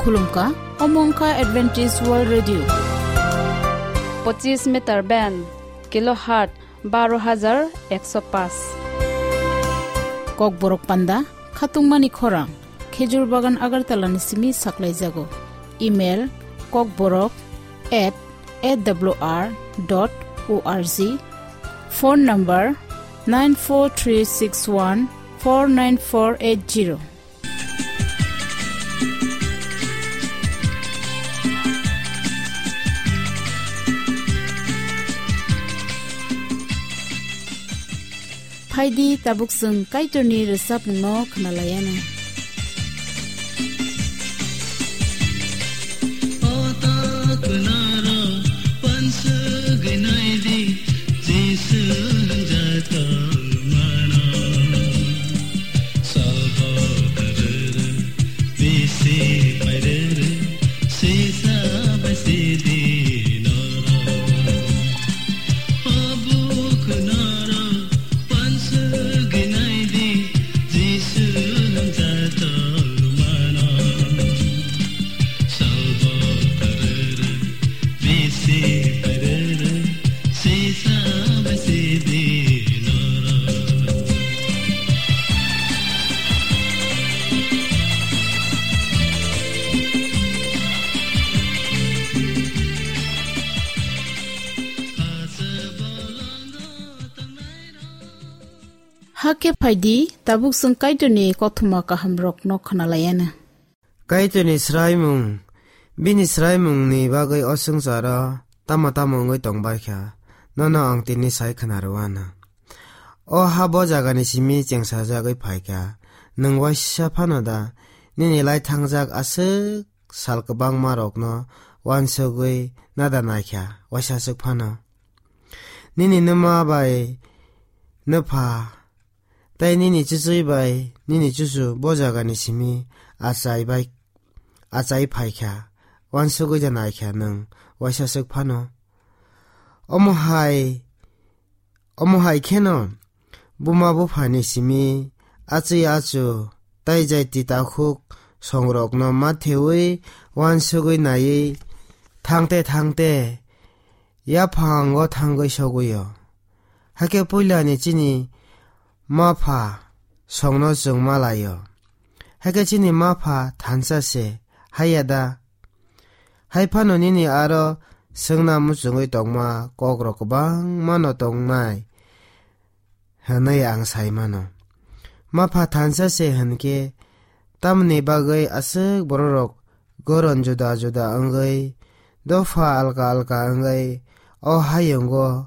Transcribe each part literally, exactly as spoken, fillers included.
Khulumkha, omo wngkha Adventist World Radio. Pochis meter band, kilohertz baro hajar ekso paanch. Kokborok panda, khatungmani khorang, Khejur Bagan Agartala ni simi saklaijago. Email, kokborok at A W R dot O R G. Phone number, nine four three six one four nine four eight zero. Phaidi tabuk chwng Kaitorni rwchapmungno khwnalaianw. Hakhe phaidi, tabuk chwng Kaitorni kothoma kahamrokno khwnalaianw. Kaitorni swraimung, bini swraimungni bagwi o swngcharo tamo tamo wngwi tongbaikha, nono ang tini sai khwnarwano. O ha bo jagani simi chengsajagwi phaikha, nwng waisa phano da nini lai thangjak aswk sal kwbangmarokno uansugwi nada naikha, waisa aswk phano. Nini nwma bai nwpha tei nini chuchwi bai nini chuchu bo jagani simi achai bai, achai phaikha, uansugwi da naikha nwng waisa swk phano. Omo hai, omo hai kheno buma buphani simi achwi achu tei jaiti takhuk songrokno matheui uansugwi naiwi thangte thangte yaphango thangwi sogwio. Hakhe puilani chini ma pha songno chwng ma laio. Hakhe chini ma pha thansa se, haiya da? Hai phano nini aro swngna muchungwi tongma kokrok kwbangmano tongnai hwnwi ang sai mano. Ma pha thansa se hwnkhe, tamni bagwi aswk bororok goron juda juda wngwi, dopha alka alka wngwi, o hayungo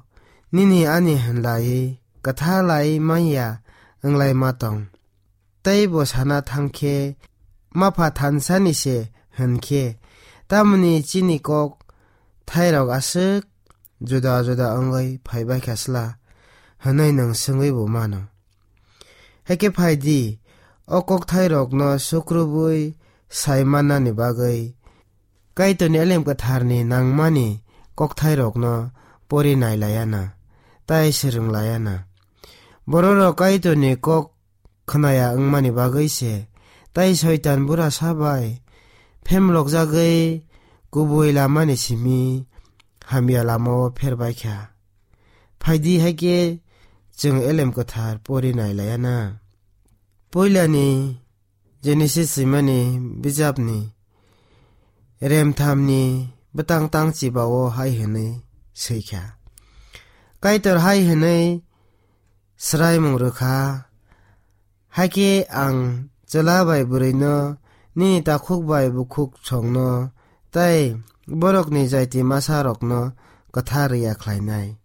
nini ani hwnlaiwi kwthalai manya wnglaima tong? Tei bo sana thangkhe, ma pha thansani se hwnkhe, tamni chini kok thairok aswk juda juda wngwi phaibaikha sla? Hwnwi nwng swngwi bo mano. Hakhe phaidi, o kokthairokno sukrubwi sai mannani bagwi Kaitorni elem kwtharni nangmani kokthairokno pori nai laiana, tai swrwng laiana. Bororok Kaitorni kok khnaya wngmani bagwi se, tai Soitan bura sabai phemlokjagwi kubui lamani simi hamya lamao pherbaikha. Phaidi hai khe chwng elem kwthar pori nai laiana. Puilani Genesis swimani bijapni remthamni bwtang tang chibao hai hwnwi swikha, Kaitor hai hwnwi swraimung rwkha, Hakhe ang chwla bai bwrwino, nini takhuk bai bukhuk songno, tei borokni jaiti masarokno kwthar ya khlainai.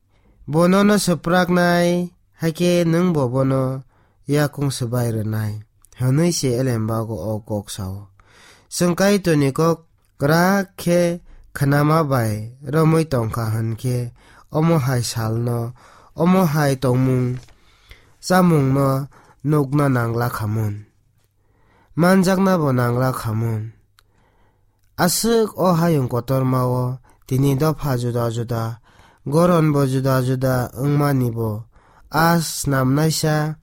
Bo nono swpraknai, hakhe nwng bo bono yakung swbai rwnai, hwnwi se elembago o kok sao. Chwng Kaitorni kok kwrak khe khnama bai romwi tongkha hwn khe, omo hai salno, omo hai tongmung chamungno nukna nangla khamun, manjaknabo nangla khamun. Aswk o hayung kotormao tini dopha juda juda, goronbo juda juda wngmanibo a snamnaisa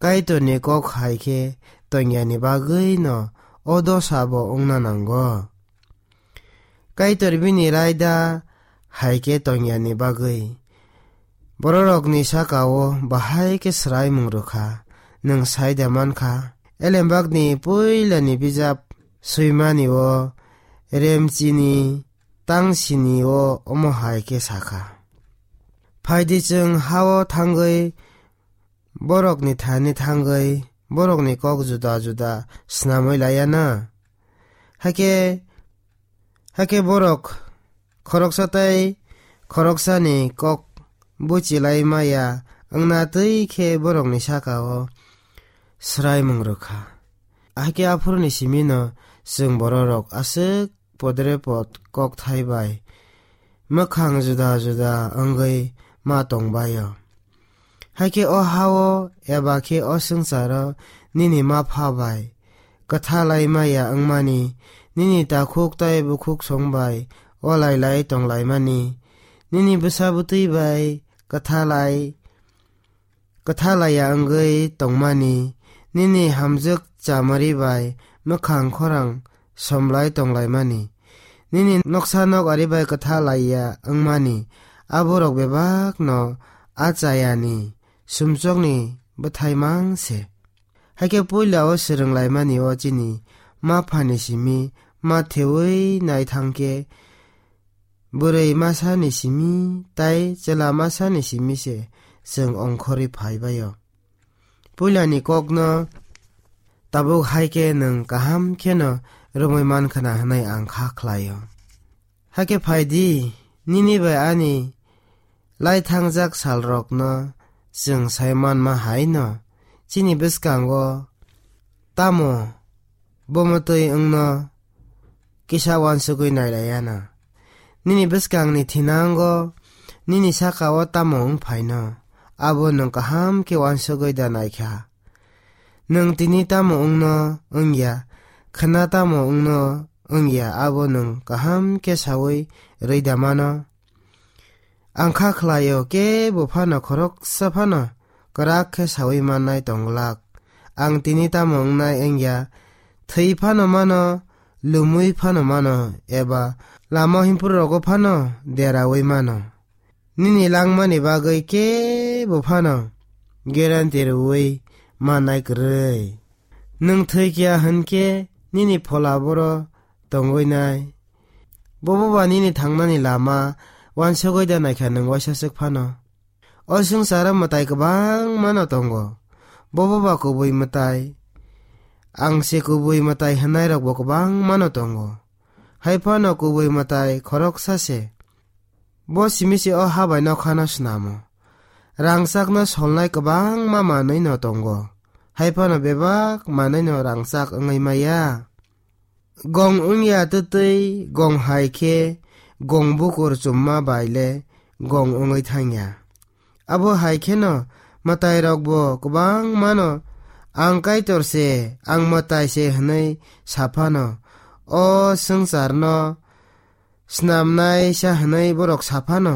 Kaitorni kok hai khe tongyani bagwino o dosa bo wngna nango. Kaitor bini raida hai khe tongyani bagwi bororokni saka-o bahai khe swraimung rwkha. Nwng sai da mankha, Elembakni puilani bijap swimani-o Remchini tangsini-o omo hai khe sakha: Phaidi chwng ha-o thangwi borokni thani thangwi borokni kok juda juda snamwi laiya na? Hakhe, hakhe borok khoroksa tei khoroksani kok buchilai maya wngna twi khe borokni saka-o swraimung rwkha. Hakhe aphuruni simino chwng bororok aswk podre pod kokthai bai mwkhang juda juda wngwi ma tongbaio. Hakhe o ha-o eba khe o swngcharo nini ma pha bai kwthalai maya wngmani, nini takhuk tei bukhuk song bai olai lai tonglaimani, nini bwsa bwtwi bai kwthalai kwthalaiya wngwi tongmani, nini hamjwk chamari bai mwkhang khorang somlai tonglaimani, nini noksa nok ari bai kwthalaiya wngmani, aborok bebakno a chayani sumsokni bwthai mang se. Hakhe puila-o swrwnglaimani-o chini ma phani simi ma thewi nai thang khe, bwrwi masani simi tai chwla masani simi se chwng ongkhorwi phaibaio. Puilani kokno tabuk hai khe nwng kaham kheno romwi mankhwna hwnwi ang kha khlaio. Hakhe phai di, nini bai ani lai thangjak salrokno chwng sai manma hai no, chini bwskango tamo bomotwi wngno kisa uansugwi nailaiya na. Nini bwskangni thinango nini saka-o tamo wng phaino, abo nwng kaham khe uansugwi da naikha. Nwng tini tamo wngno wngya, khwna tamo wngno wngya, abo nwng kaham khe saui rwi da mano. Ang kha khlaio, kebo phano khoroksa phano kwrak khe saui mannai tong glak. Ang tini tamo wngnai wngya, thwi phano mano, lumui phano mano, eba lama himphuru rogo phano deraui mano. Nini langmani bagwi kebo phano guarantee rwui mannai kwrwi. Nwng thwi kiya hwn khe nini phola boro tongwi nai. Bobo ba nini thangnani lama uansugwi da naikha nwng waisa swk phano. O swngcharo mwtai kwbangmano tongo. Bobo ba kubui mwtai. Ang se kubui mwtai hwnairokbo kwbangmano tongo. Hai phano kubui mwtai khoroksa se. Bo simi se o ha bai nokhano snamo. Rangchakno solnai kwbangma manwino tongo. Hai phano bebak manwino rangchak wngwi maya. Gong wngya twtwi gong hai khe gong bukur chumma bai le gong wngwi thangya. Abo hai kheno mwtairokbo kwbangmano, "Ang Kaitor se, ang mwtai se," hwnwi sa phano, o swngcharno snamnaisa hwnwi borok sa phano,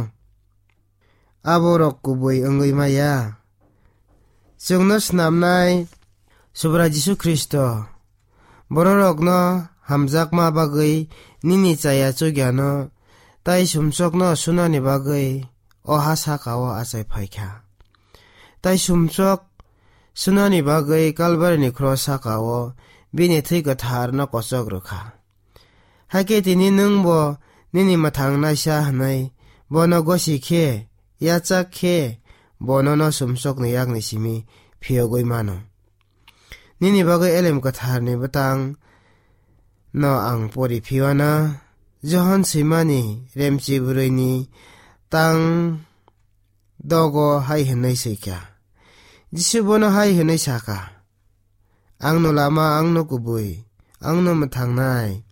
aborok kubui wngwi maya. Chwngno snamnai Subrai Jisu Khristo bororokno hamjakma bagwi nini chaya chugyano tai sumsokno sunani bagwi o ha saka-o achai phaikha. Tai sumsok sunani bagwi Kalbarini khro saka-o bini thwi kwtharno kochok rwkha. Hakhe tini nwngbo nini mwthangnaisa hwnwi bono gosi khe, yachak khe, bono no sumsokni yakni simi phiyogwi mano. Nini bagwi Elem Kwtharni bwtang no ang pori phiwana, Johon swimani remchi bwrwini tang dogo hai hwnwi swikha. Jisu bono hai hwnwi sakha, "Angno lama, angno kubui, angno mwthangnai.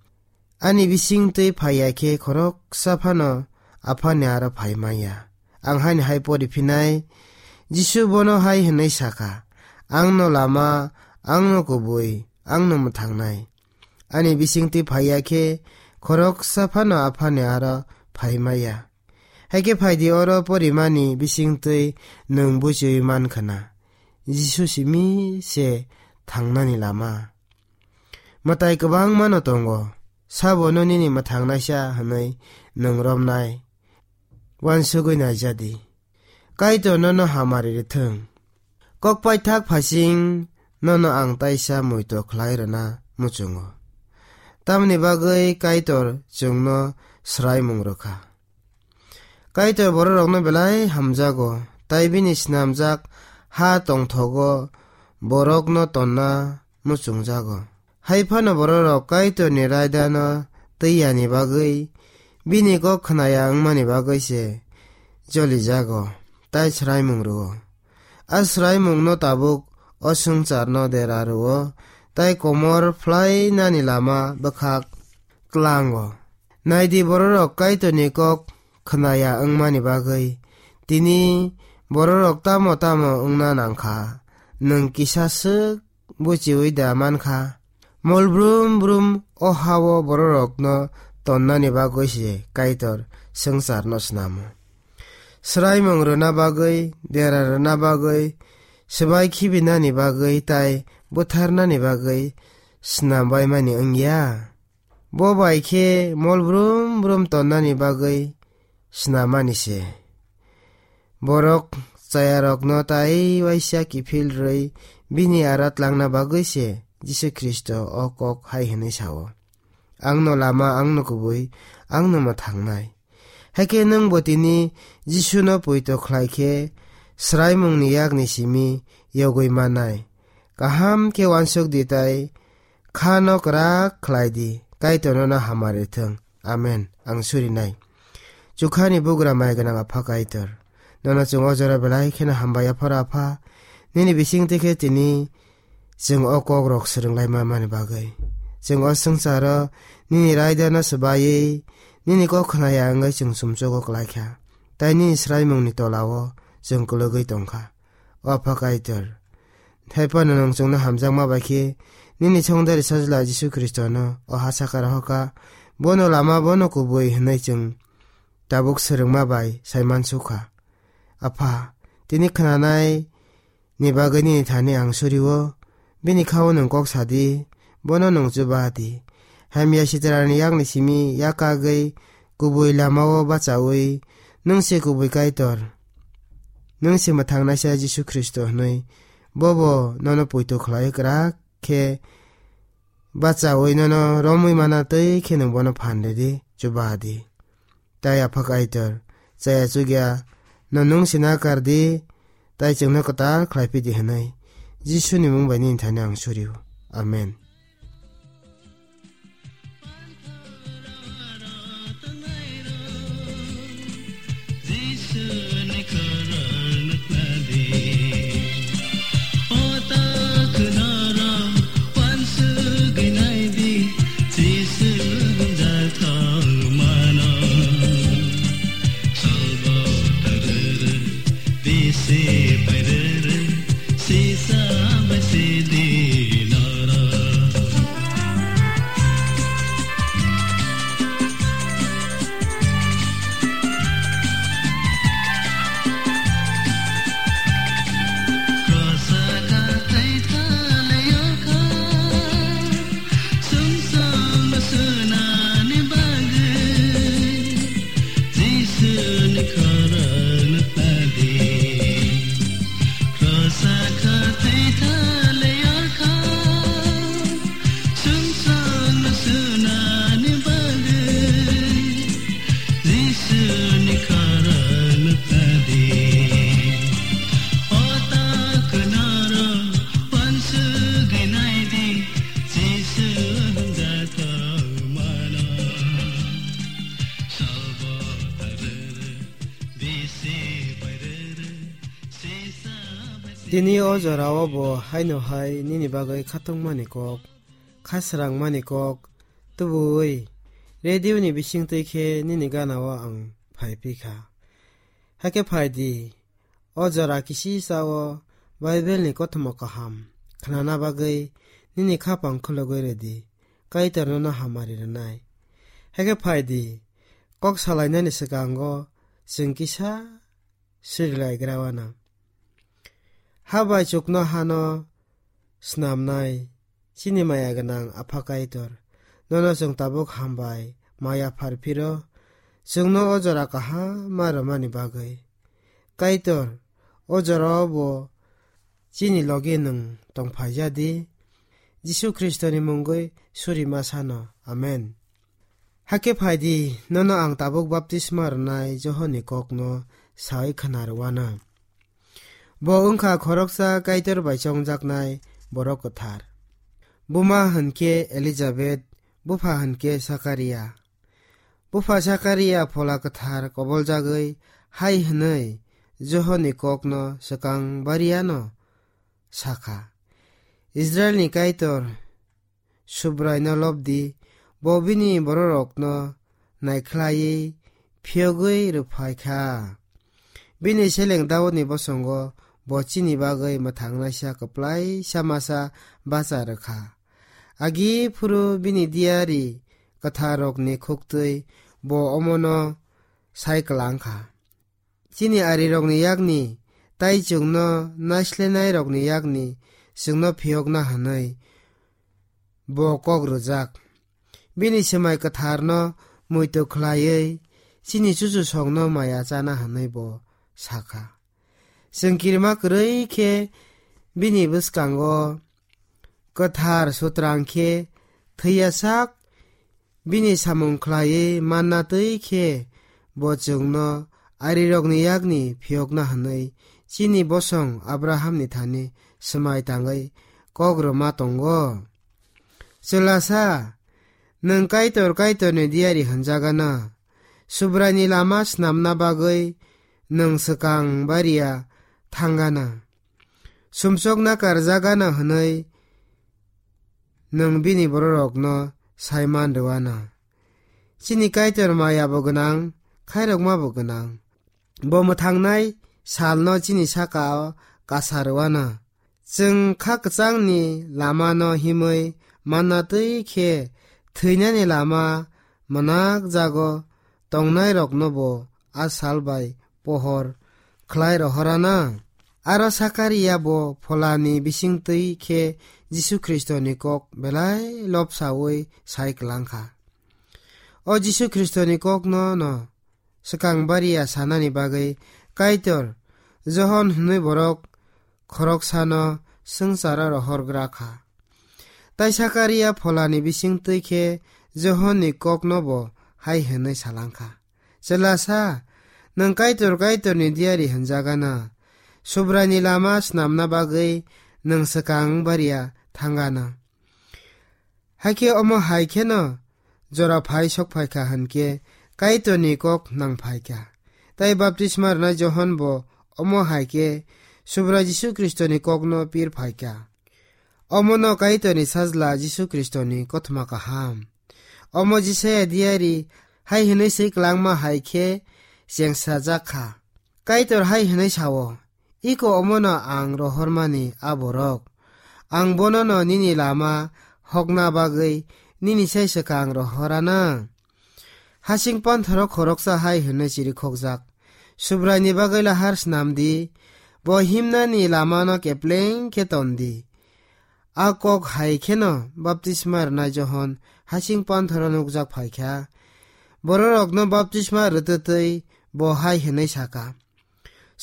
Ani bisingtwi phaiya khe khoroksa phano Aphani aro phai manya." Ang haini hai pori phinai, Jisu bono hai hwnwi sakha, "Angno lama, angno kubui, angno mwthangnai. Ani bisingtwi phaiya khe khoroksa phano Aphani aro phai maya." Hakhe phaidi oro porimani bisingtwi nwng buchiui mankhwna, Jisu simi se thangnani lama. mwtai kwbangmano tongo, sabo no nini mwthangnaisa hwnwi nwng romnai, uansugwi naijadi. Kaitor nono hamari rwthwng. Kok paithak phasing nono ang taisa muitu khlai rwna muchungo. Tamni bagwi Kaitor chwngno swraimung rwkha. Kaitor bororokno belai hamjago, tai bini snamjak ha tongthogo borokno tonna muchungjago. Hai phano bororok Kaitorni raidano twi yani bagwi, bini kok khnaya wngmani bagwi se jolijago, tai swraimung rwo. A swraimungno tabuk o swngcharno dera rwo, tai komor phlainani lama bwkhak tlango. Naidi, bororok Kaitorni kok khnaya wngmani bagwi, tini bororok tamo tamo wngna nangkha, nwng kisa swk buchiui da mankha. Mol brum brum o ha-o bororokno tonnani bagwi se Kaitor swngcharno snamo. Swraimung rwna bagwi, dera rwna bagwi, swbai khibinani bagwi tai butharnani bagwi snam baimani wngya. Bo bai khe mol brum brum tonnani bagwi snamani se. Borok chayarokno tai waisa kiphil rwi bini ara tlangna bagwi se Jisu Khristo o kok hai hwnwi sao, "Angno lama, angno kubui, angno mwthangnai." Hakhe nwngbo tini Jisuno poito khlai khe swraimungni yakni simi yogwi mannai. Kaham khe uansuk di tai khano kwrak khlai di. Kaitor nono hamari thung. Amen. Ang surinai. Chukhani bugra mai gwnang Apha Kaitor, nono chwng o jora belai kheno hambai yapharo Apha. Nini bisingtwi khe tini chwng o kokrok swrwnglaima mani bagwi. Chwng o swngcharo nini raidano swbaiwi, nini kok khnaya wngwi chwng sumsogo klaikha, tai nini swraimungni tolao chwng kwlwgwi tongkha. O Apha Kaitor, thaiphano nwng chwngno hamjakma bai khe nini Songdari Sajla Jisu Khristono o ha sakha rohorkha. Bono lama, bono kubui hwnwi chwng tabuk swrwngma bai saimansukha. Apha, tini khnanai ni bagwi nini thani ang surio, bini khao nwng kok sadi, bono nwng chuba di. Hamya sitrani yakni simi yakagwi kubui lamao bachaui, nwng se kubui Kaitor, nwng se mwthangnaisa Jisu Khristo hwnwi, bobo nono poito khlai kwrak khe bachaui nono romwi mana twi khe nwng bono phan ridi, chuba di. Tai Apha Kaitor, chaya chukya no nwng sina kar di, tai chwngno kwtal khlai phi di hwnwi Jisuni mung bai nini thani ang surio. Amen. Tini o jorao bo haino hai nini bagwi khatungmani kok, kha srangmani kok tubui radio ni bisingtwi khe nini ganao ang phai phi kha. Hakhe phai di, o jora kisi sao Bible ni kothoma kaham khnana bagwi nini khapang khulugwi rwdi, Kaitor nono hamari rwnai. Hakhe phai di, kok salainani swkango chwng kisa srilaigra uanw. Ha bai chuknohano snamnai, Chini maya gwnang Apha Kaitor, nono chwng tabuk hambai, maya phar phiro, chwngno o jora kaham ma rwmani bagwi. Kaitor, o jorao bo chini logi nwng tongphaijadi. Jisu Khristoni mungwi suri ma sano. Amen. Hakhe phaidi, nono ang tabuk baptisma rwnai Johonni kokno sawi khna rwano. Bo wngkha khoroksa Kaitor bai chongjaknai borok kwthar. Buma hwnkhe Elizabeth, bupha hwnkhe Sakaria. Bupha Sakaria phola kwthar koboljagwi hai hwnwi Johonni kokno swkang bariano sakha, Israilni Kaitor Subraino lobdi, bo bini bororokno naikhlaiwi phiyogwi rwphaikha. Bini seleng Daudni bosongo bo chini bagwi mwthangnaisa kwplaisa masa bacha rwkha. Agi phuru bini diyari kwtharrokni khuktwi bo omono sai kwlangkha. Chini arirokni yakni tai chwngno naislenairokni yakni chwngno phiyokna hwnwi bo kok rwjak. Bini swmai kwtharno muitu khlaiwi chini chuchusongno maya chana hwnwi bo sakha. Chwng kirima kwrwi khe bini bwskango kwthar sutrang khe thwiya sak bini samung khlaiwi manna twi khe bo chwngno arirokni yakni phiyokna hwnwi chini bosong Abrahamni thani swmai tangwi kok rwma tongo. Chwlasa, nwng Kaitor Kaitorni diyari hwnjagana, Subraini lama snamna bagwi nwng swkang bariya thangana, sumsokna karjagana hwnwi nwng bini bororokno saiman rwano. Chini Kaitor maya bo gwnang, khairokma bo gwnang. Bo mwthangnai salno chini saka-o kasa rwano. Chwng kha kwchangni lamano himwi manna twi khe thwinani lama mwnak jago tongnairokno bo a sal bai pohor khlai rohorana. Aro Sakaria bo pholani bisingtwi khe Jisu Khristoni kok belai lobsaui sai kwlangkha. O Jisu Khristoni kokno no swkang bariya sanani bagwi Kaitor Johon hwnwi borok khoroksano swngcharo rohorgra kha. Tai Sakaria pholani bisingtwi khe Johonni kokno bo hai hwnwi salangkha, "Chwlasa, nwng Kaitor Kaitorni diyari hwnjagana, Subraini lama snamna bagwi nwng swkang bariya thangana." Hakhe omo hai kheno jora phai sok phaikha hwnkhe Kaitorni kok nang phaikha. Tai baptisma rwnai Johon bo omo hai khe Subrai Jisu Khristoni kokno pir phaikha. Omono Kaitorni Sajla Jisu Khristoni kothoma kaham. Omo Jisaya diyari hai hwnwi swi kwlangma hai khe chengsajak kha. Kaitor hai hwnwi sao, "Iko omono ang rohormani a borok. Ang bonono nini lama hokna bagwi nini sai swkang rohorana." Hasing panthoro khoroksa hai hwnwi chirikhokjak, "Subraini bagwi lahar snam di, bo himnani lamano kepleng khe ton di." A kok hai kheno baptisma rwnai Johon hasing panthoro nukjak phaikha. Bororokno baptisma rwtwtwi bo hai hwnwi saka,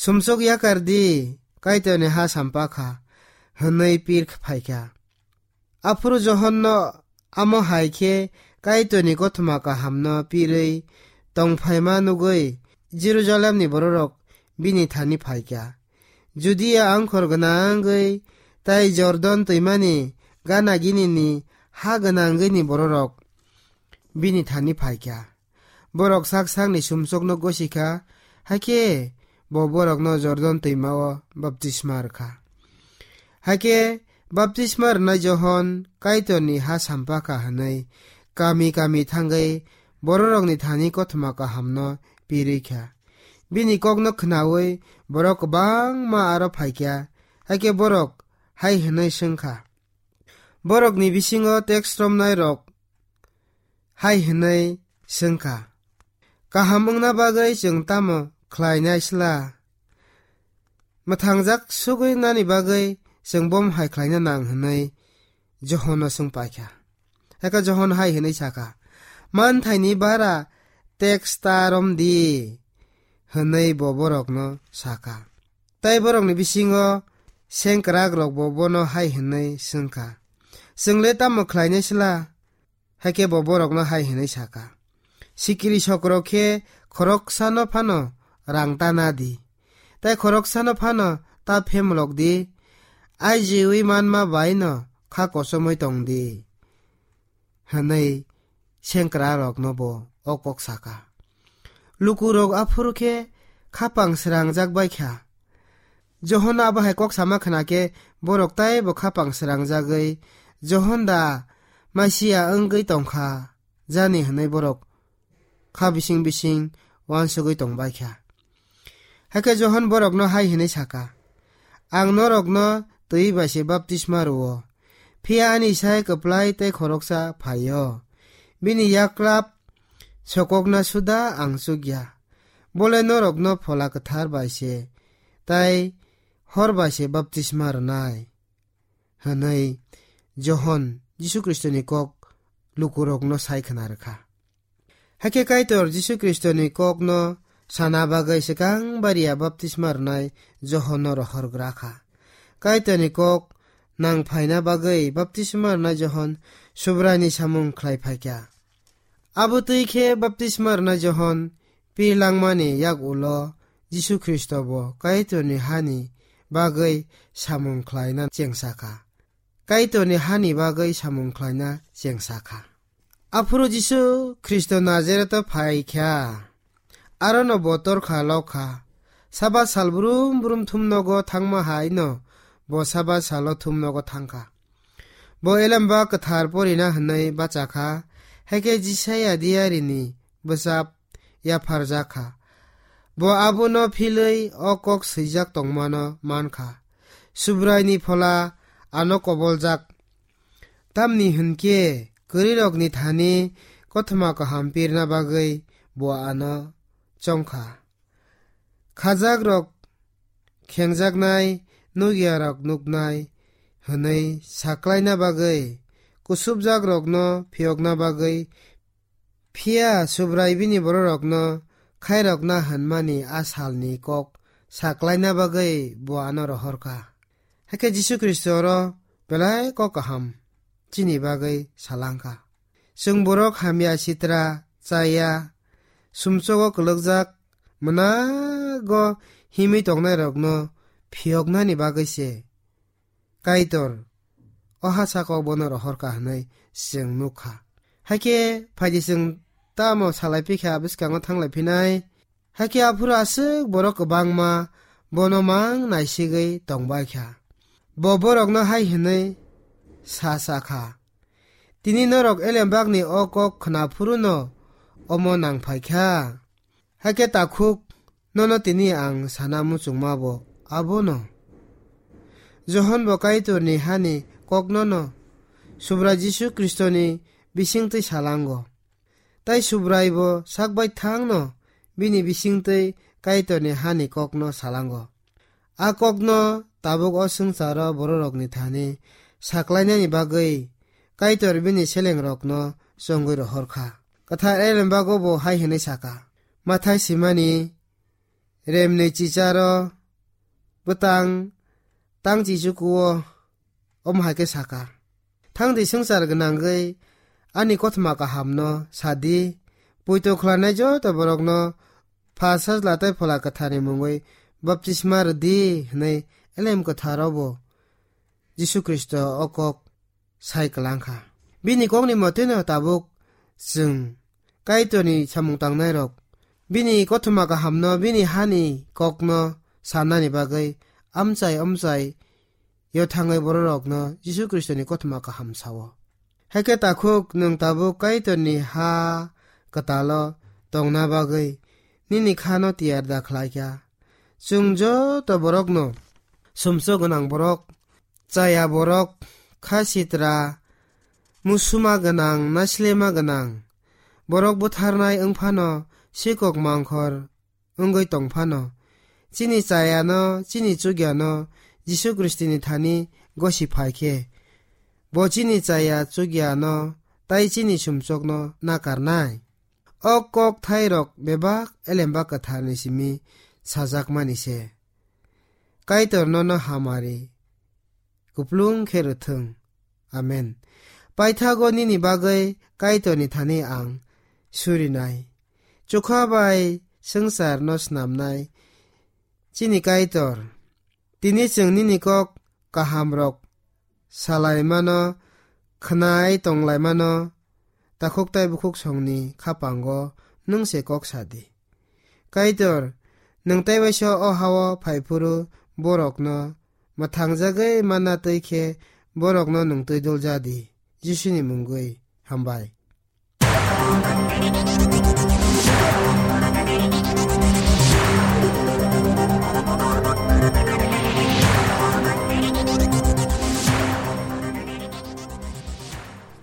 "Sumsok yakar di, Kaitorni ha sampakha," hwnwi pir phaikha. Aphuru Johonno amo hai khe Kaitorni kothoma kahamno pirwi tongphaima nugwi Jerusalemni bororok bini thani phaikha. Judia angkhor gwnangwi tai Jordan twimani gana ginini ha gwnangwini bororok bini thani phaikha. Borok sak sakni sumsokno gosikha, hakhe bo borokno Jordan twima-o baptisma rwkha. Hakhe baptisma rwnai Johon Kaitorni ha sampakha hwnwi kami kami thangwi bororokni thani kothoma kahamno pirwi kha. Bini kokno khnaui borok kwbangma aro phaikha, hakhe borok hai hwnwi swngkha. Borokni bisingo teks romnairok hai hwnwi swngkha, "Kaham wngna bagwi chwng tamo khlainai sla? Mwthangjak sugwi nani bagwi chwng bomo hai khlaina nang hwnwi Johonno swng paikha. Hakhe Johon hai hwnwi sakha, "Manthaini bara teks ta rom di," hwnwi bo borokno sakha. Tai borokni bisingo sengkrakrokbo bono hai hwnwi swngkha, "Chwng le tamo khlainai sla?" Hakhe bo borokno hai hwnwi sakha, "Sikiri sokrok khe khoroksano phano rang ta na di, tai khoroksano phano ta phemlok di, aijiui manma bai no kha kochomwi tong di," hwnwi sengkrakrokno bo o kok sakha. Lukurok aphuru khe khapang srangjak bai kha. Johon abo hai kok sama khna khe borok taibo khapang srangjagwi, "Johon da Masia wngwi tongkha jani?" hwnwi borok kha bising bising uansugwi tongbai kha. Hakhe Johon borokno hai hwnwi sakha, "Ang norokno twi bai se baptisma rwo, phiya ani sai kwplai tei khoroksa phaio. Bini yaklap sokokna suda ang chukya. Bole norokno Phola Kwthar bai se tai hor bai se baptisma rwnai," hwnwi Johon Jisu Khristoni kok lukurokno sai khna rwkha. Hakhe Kaitor Jisu Khristoni kokno sana bagwi swkang bariya baptisma rwnai Johonno rohorgra kha. Kaitorni kok nang phaina bagwi baptisma rwnai Johon Subraini samung khlai phaikha. Abo twi khe baptisma rwnai Johon pir langmani yak ulo Jisu Khristo bo Kaitorni hani bagwi samung khlaina chengsa kha. Kaitorni hani bagwi samung khlaina chengsa kha. Aphuru Jisu Khristo Nazaretho phai kha, arono bo torkha lok kha. Sabat sal brum brum thumnogo thangma hai no bo Sabat salo thumnogo thang kha. Bo Elembak Kwthar porina hwnwi bacha kha, hakhe Jisaya diyarini bwchap yapharjak kha. Bo abono philwi o kok swijak tongmano man kha, "Subraini Phola ano koboljak." Tamni hwn khe kwrwirokni thani kothoma kaham pirna bagwi bo ano chong kha. Khajakrok khengjaknai, nukyarok nuknai hwnwi saklaina bagwi, kusupjakrokno phiyokna bagwi, phiya Subrai bini bororokno khairokna hwnmani a salni kok saklaina bagwi bo ano rohor kha. Hakhe Jisu Khristo oro belai kok kaham chini bagwi salang kha. Chwng borok hamya sitra, chaya, sumsogo kwlwkjak, mwnago himwi tongnairokno phiyoknani bagwi se Kaitor o ha sakao bono rohor kha hwnwi chwng nuk kha. Hakhe phaidi chwng tamo salai phi kha bwskango thanglai phinai. Hakhe aphuru aswk borok kwbangma bono mang naisigwi tongbai kha. Bo borokno hai hwnwi sa sa kha, "Tini norok Elembakni o kok khna phuruno omo nang phai kha. Hakhe takhuk nono tini ang sana muchungma bo abono." Johon bo Kaitorni hani koknono Subrai Jisu Khristoni bisingtwi salango. Tai Subrai bo sak baithangno bini bisingtwi Kaitorni hani kokno salango. A kokno tabuk o swngcharo bororokni thani saklainani bagwi Kaitor bini selengrokno chongwi rohor kha. Kwthar Elembago bo hai hwnwi saka, Mathai simani, remni chicharo bwtang tang chichukuo omo hai khe saka, "Thang di swngchar gwnangwi ani kothoma kahamno sa di, poito khlainai joto borokno Pha, Sajla tei Phola Kwtharni mungwi baptisma rw di," hwnwi Elem Kwtharo bo Jisu Khristo o kok sai kwlang kha. Bini kokni motino tabuk chwng Kaitorni samung tangnairok bini kothoma kahamno, bini hani kokno sanani bagwi amchai amchai yo thangwi bororokno Jisu Khristoni kothoma kaham sao. Hakhe takhuk nwng tabuk Kaitorni ha kwtalo tongna bagwi nini khano tiyar da khlai kha. Chwng joto borokno sumsok gwnang borok, chaya borok, kha sitra, musuma gwnang, nasilema gwnang, borok butharnai wng phano, sikok mangkhor wngwi tong phano, chini chayano, chini chukyano Jisu Khristoni thani gosi phai khe, Bo chini chaya chukya no tai chini sumsok no nakarnai. O kok thai rok bebak Elemba Kwthar ni simi sajak mani se. Kaitor nono hamari kuplung khe rwthwng. Amen. Paithago nini bagwi Kaitor ni thani ang surinai. Chukha bai swngchar no snamnai chini Kaitor. Tini chwng nini kok kaham rok salai mano, khnai tonglai mano, takhuk tai bukhuk songni khapango nwng se kok sa di. Kaitor, nwng tai waisa o hao phai phuru borokno mwthangjagwi manna twi khe borokno nwng twi dul ja di. Jisuni mungwi hambai.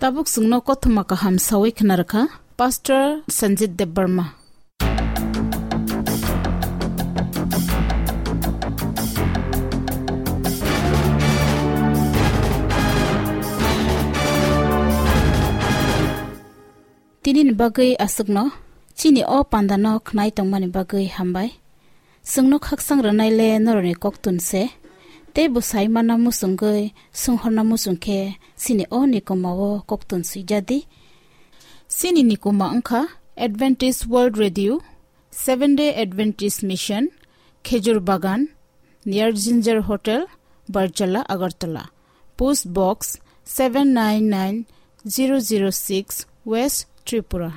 Tabuk chwngno kothoma kaham sawi khna rwkha Pastor Sanjit Debbarma. Tinini bagwi aswkno chini o pandano khnai tongmani bagwi hambai. Chwngno khaksang rwnai le norokni koktun se, tei bwsai manna muchungwi swnghorna muchung khe chini o nikoma o koktun swijadi. Chini nikoma wngkha Adventist World Radio, Seventh Day Adventist Mission, Khejur Bagan, near Ginger Hotel, Barjala, Agartala. Post Box seven nine nine zero zero six, West Tripura.